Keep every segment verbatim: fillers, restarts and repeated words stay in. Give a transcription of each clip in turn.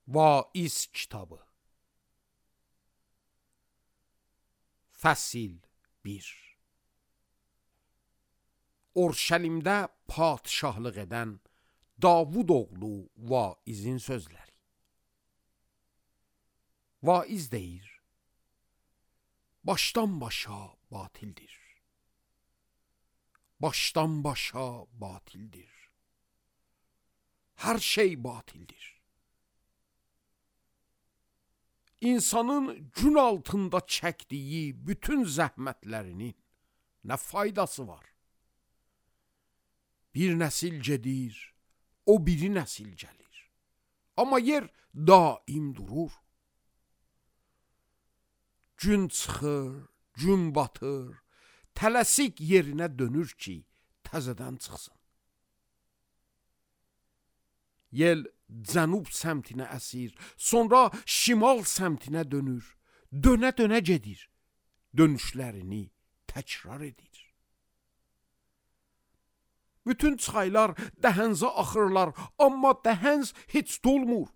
Vaiz kitabı Fəsil bir. Orşəlimdə padişahlıq edən Davud oğlu Vaizin sözləri. Vaiz deyir: başdan başa batildir. Başdan başa batildir. Hər şey batildir. İnsanın gün altında çəkdiyi bütün zəhmətlərinin nə faydası var? Bir nəsil gedir, o biri nəsil gəlir. Amma yer daim durur. Gün çıxır, gün batır, tələsik yerinə dönür ki, təzədən çıxsın. Yel cənub səmtinə əsir, sonra şimal səmtinə dönür, dönə-dönə gedir, dönüşlərini təkrar edir. Bütün çaylar dəhənzə axırlar, amma dəhənz heç dolmur.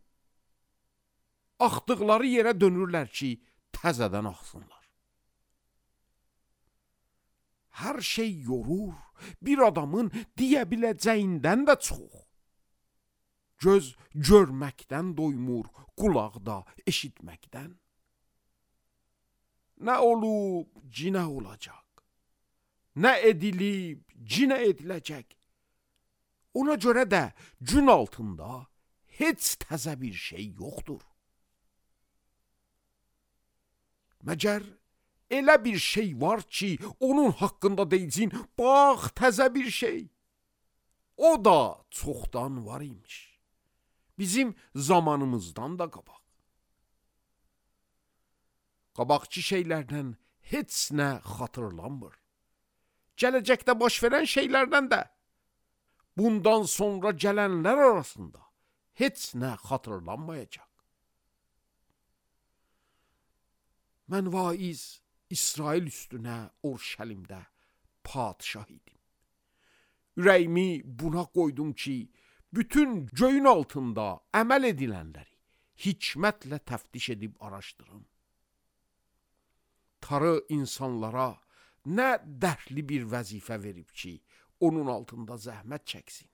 Axdıqları yerə dönürlər ki, təzədən axsınlar. Hər şey yorur, bir adamın deyə biləcəyindən də çox. Göz görməkdən doymur, qulaq da eşitməkdən. Nə olub, cinə olacaq. Nə edilib, cinə ediləcək. Ona görə də gün altında heç təzə bir şey yoxdur. Məgər elə bir şey var ki, onun haqqında deyicin, bax təzə bir şey. O da çoxdan var imiş. Bizim zamanımızdan da qabaq. Qabaqçı şeylərdən heç nə xatırlanmır. Gələcəkdə baş verən şeylərdən də, bundan sonra gələnlər arasında heç nə xatırlanmayacaq. Mən Vaiz İsrail üstünə Orşəlimdə padişah idim. Ürəyimi buna qoydum ki, bütün göyün altında əməl edilənləri hikmətlə təftiş edib araşdırım. Tarı insanlara nə dərdli bir vəzifə verib ki, onun altında zəhmət çəksin.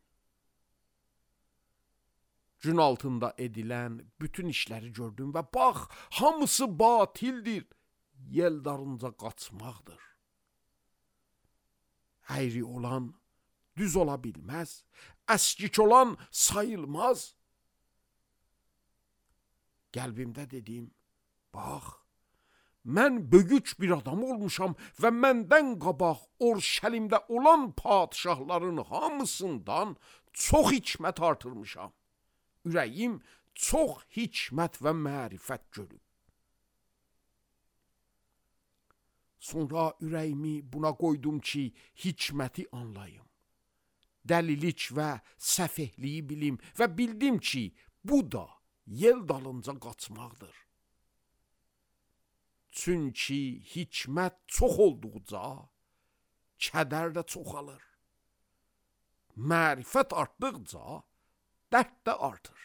Gün altında edilən bütün işləri gördüm və bax, hamısı batildir, yel darınca qaçmaqdır. Əyri olan düz ola bilməz, əskik olan sayılmaz. Qəlbimdə dedim, bax, mən böyük bir adam olmuşam və məndən qabaq Orşəlimdə olan padişahların hamısından çox hikmət artırmışam. Ürəyim çox hikmət və mərifət görüb. Sonra ürəyimi buna qoydum ki, hikməti anlayım. Dəlilik və səfehliyi bilim və bildim ki, bu da yel dalınca qaçmaqdır. Çünki hikmət çox olduqca, kədər də çoxalır. Mərifət artdıqca, dərd də artır.